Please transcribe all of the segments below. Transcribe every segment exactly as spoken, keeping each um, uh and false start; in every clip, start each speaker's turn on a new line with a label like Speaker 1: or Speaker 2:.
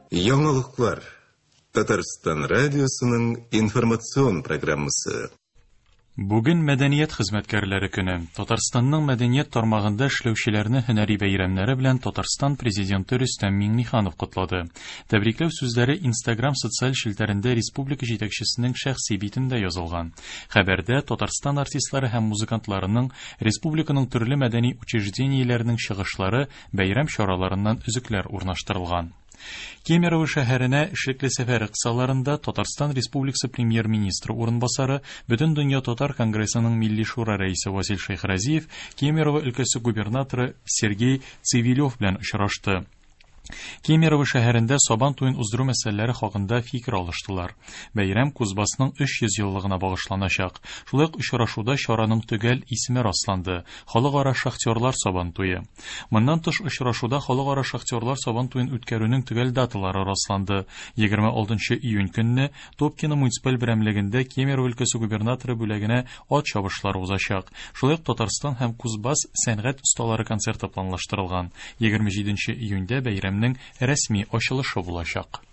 Speaker 1: Яңалыклар. Татарстан радиосының информацион программасы.
Speaker 2: Бүген мәдәният хезмәткәрләре көне. Татарстанның мәдәният тармагында эшләүчеләрне һөнәри бәйрәмнәре белән Татарстан президенты Рөстәм Миңнеханов котлады. Тәбрикләү сүзләре Instagram социаль челтәрендә республика җитәкчесенең шәхси битендә язылган. Хәбәрдә Татарстан артистлары һәм музыкантларының, республиканың төрле мәдәни учреждениеләренең чыгышлары, бәйрәм чараларыннан өзекләр урнаштырылган. Кемерово шәһәренә эшлекле сәфәре кысаларында Татарстан Республикасы премьер-министры урынбасары, Бөтендөнья татар конгрессының Милли шура рәисе Васил Шәйхразиев Кемерово өлкәсе губернаторы Сергей Цивилев белән очрашты. Кемерово шәһәрендә Сабан туен уздыру мәсьәләләре хакында фикер алыштылар. Бәйрәм Кузбассның өч йөз еллыгына багышланачак. Шулай ук очрашуда чараның төгәл исеме расланды: Халыкара шахтерлар Сабан туе. Моннан тыш очрашуда Халыкара шахтерлар Сабан туен үткәрүнең төгәл даталары расланды. егерме алтынчы июнь көнне Топкино муниципаль берәмлегендә Кемерово өлкәсе губернаторы бүләгенә ат чабышлары узачак. Шулай ук Татарстан һәм Кузбасс сәнгать осталары концерты планлаштырылган. егерме җиденче июньдә бәйрәмнең рәсми ачылышы булачак.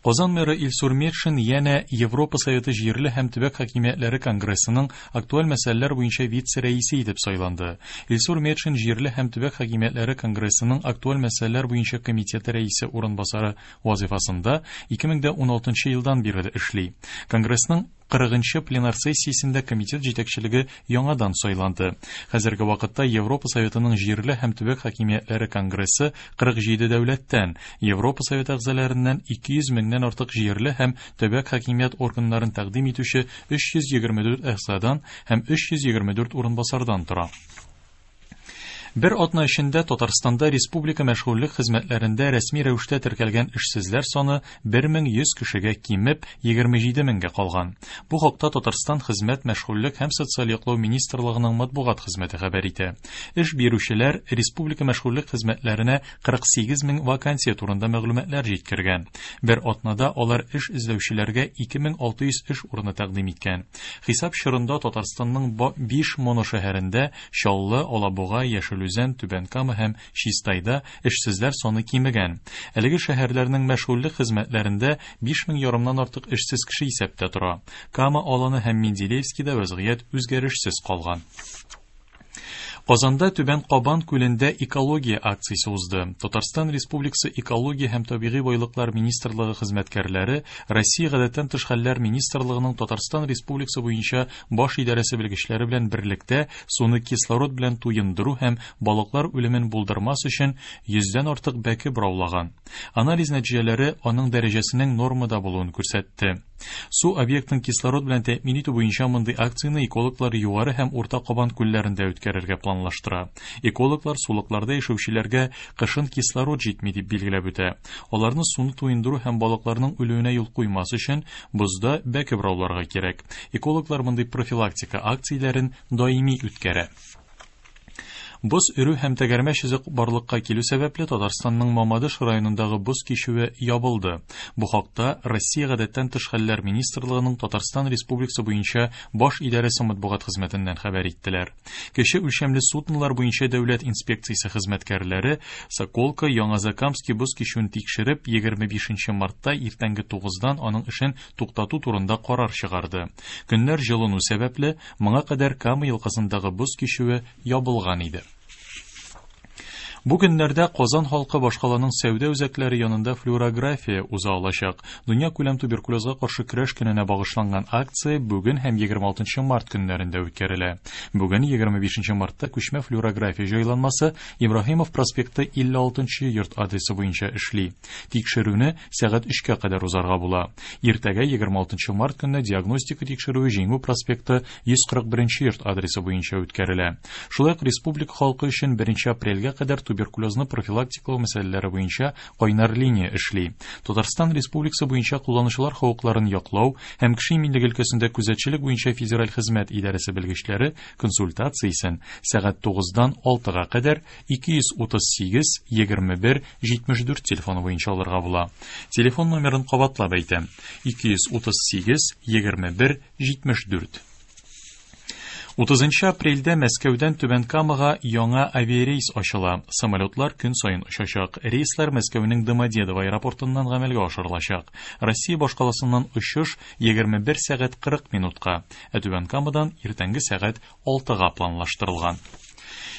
Speaker 2: Казан мэры Илсур Метшин янә Европа Советы җирле һәм төбәк хакимиятләре конгрессының актуаль мәсьәләләр буенча вице-рәисе итеп сайланды. Илсур Метшин җирле һәм төбәк хакимиятләре конгрессының актуаль мәсьәләләр буенча комитеты рәисе урынбасары вазифасында ике мең дә уналтынчы елдан бирле эшли. Конгрессның кырыгынчы пленар сессиясендә комитет җитәкчелеге яңадан сайланды. Хәзерге вакытта Европа Советының җирле һәм төбәк хакимиятләре конгрессы кырык җиде дәүләттән, Европа Советы әгъзаларыннан ике йөз меңнән артык җирле һәм төбәк хакимият органнарын тәкъдим итүче өч йөз егерме дүрт әгъзадан һәм өч йөз егерме дүрт урынбасардан тора. Бер атна эчендә Татарстанда республика мәшгульлек хезмәтләрендә рәсми рәвештә теркәлгән эшсезләр саны бер мең йөз кешегә кимеп егерме җиде меңгә калган. Бу хакта Татарстан Хезмәт, мәшгульлек һәм социаль яклау министрлыгының матбугат хезмәте хәбәр итә. Эш бирүчеләр республика мәшгульлек хезмәтләренә кырык сигез мең вакансия турында мәгълүматлар җиткергән. Бер атнада алар эш эзләүчеләргә ике мең алты йөз эш урыны тәкъдим иткән. Хисап чорында Татарстанның биш моношәһәрендә Чаллы, Алабуга, Яшел Үзән, Түбән Кама һәм Чистайда эшсезләр саны кимегән. Әлеге шәһәрләрнең мәшгульлек хезмәтләрендә биш мең ярымнан артык эшсез кеше исәптә тора. Кама аланы һәм Менделеевскида вәзгыять үзгәрешсез калган. Казанда Түбән Кабан күлендә экология акциясе узды. Татарстан Республикасы Экология һәм табигый байлыклар министрлыгы хезмәткәрләре Россия Гадәттән тыш хәлләр министрлыгының Татарстан Республикасы буенча баш идарәсе белгечләре белән берлектә суны кислород белән туендыру һәм балыклар үлемен булдырмас өчен йөздән артык бәке бораулаган. Анализ нәтиҗәләре аның дәрәҗәсенең нормада булуын күрсәтте. Су объектын кислород белән тәэмин итү буенча мондый акцияне экологлар Югары һәм Урта Кабан күлләрендә үткәрергә планлаштыра. Экологлар сулыкларда яшәүчеләргә кышын кислород җитми дип билгеләп үтә. Аларны суны туендыру һәм балыкларның үлүенә юл куймас өчен бозда бәке борауларга кирәк. Экологлар мондый профилактика акцияләрен даими үткәрә. Боз өрү һәм тәгәрмәч эзе барлыкка килү сәбәпле Татарстанның Мамадыш районындагы боз кичүе ябылды. Бу хакта Россия Гадәттән тыш хәлләр министрлыгының Татарстан Республикасы буенча баш идарәсе матбугат хезмәтеннән хәбәр иттеләр. Кече үлчәмле суднолар буенча дәүләт инспекциясе хезмәткәрләре Соколка Яңазакамский боз кичүен тикшереп, егерме бишенче мартта иртәнге тугыздан аның эшен туктату турында карар чыгарды. Көннәр җылыну сәбәпле моңа кадәр Кама елгасындагы боз кичүе ябылган иде. Бу көннәрдә Казан халкы башкаланың сәүдә үзәкләре янында флюорография уза алачак. Дөнья күләм туберкулезга каршы көрәш көненә багышланган акция бүген һәм егерме алтынчы март көннәрендә үткәрелә. Бүген егерме бишенче мартта күчмә флюорография җайланмасы Ибраһимов проспекты илле алтынчы йорт адресы буенча эшли. Тикшерүне сәгать өчкә кадәр узарга була. Иртәгә егерме алтынчы март көнне диагностика тикшерүе Җиңү проспекты йөз кырык беренче йорт адресы буенча үткәрелә. Шулай ук республика халкы өчен беренче апрельгә кадәр туберкулезны профилактикалау мәсьәләләре буенча кайнар линия эшли. Татарстан Республикасы буенча кулланучылар хокукларын яклау һәм кеше иминлеге өлкәсендә күзәтчелек буенча федераль хезмәт идарәсе белгечләре консультациясен сәгать тугыздан алтыга кадәр ике йөз утыз сигез егерме бер җитмеш дүрт телефоны буенча алырга була. Телефон номерын кабатлап әйтәм: ике йөз утыз сигез егерме бер җитмеш дүрт. Утызынчы апрельдә Мәскәүдән Түбән Камага яңа авиарейс ачыла. Самолетлар көн саен очачак. Рейслар Мәскәүнең Домодедово аэропортыннан гамәлгә ашырылачак. Россия башкаласыннан очыш егерме бер сәгать кырык минутка, ә Түбән Камадан иртәнге сәгать алтыга планлаштырылган.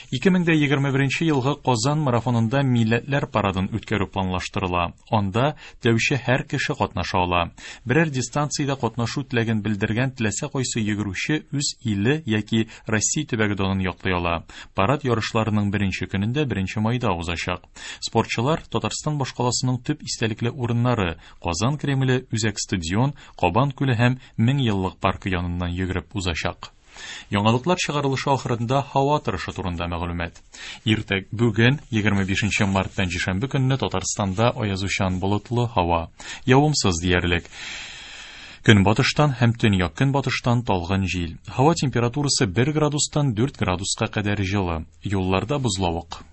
Speaker 2: Ике мең дә егерме беренче елгы Казан марафонында милләтләр парадын үткәрү планлаштырыла. Анда теләүче һәр кеше катнаша ала. Берәр дистанциядә катнашу теләген белдергән теләсә кайсы йөгерүче үз иле яки Россия төбәге данын яклый ала. Парад ярышларының беренче көнендә беренче майда узачак. Спортчылар Татарстан башкаласының төп истәлекле урыннары Казан Кремле, Үзәк стадион, Кабан күле һәм Мең еллык паркы яныннан йөгереп узачак. Яңалыклар чыгарылышы ахырында һава торышы турында мәгълүмат. Иртәг бүген егерме бишенче март пәнҗешәмбе көнне Татарстанда аязучан болытлы һава, явымсыз диярлек. Көнбатыштан һәм төньяк көнбатыштан талгын җил. Һава температурасы бер градустан дүрт градуска кадәр җылы. Юлларда бозлавык.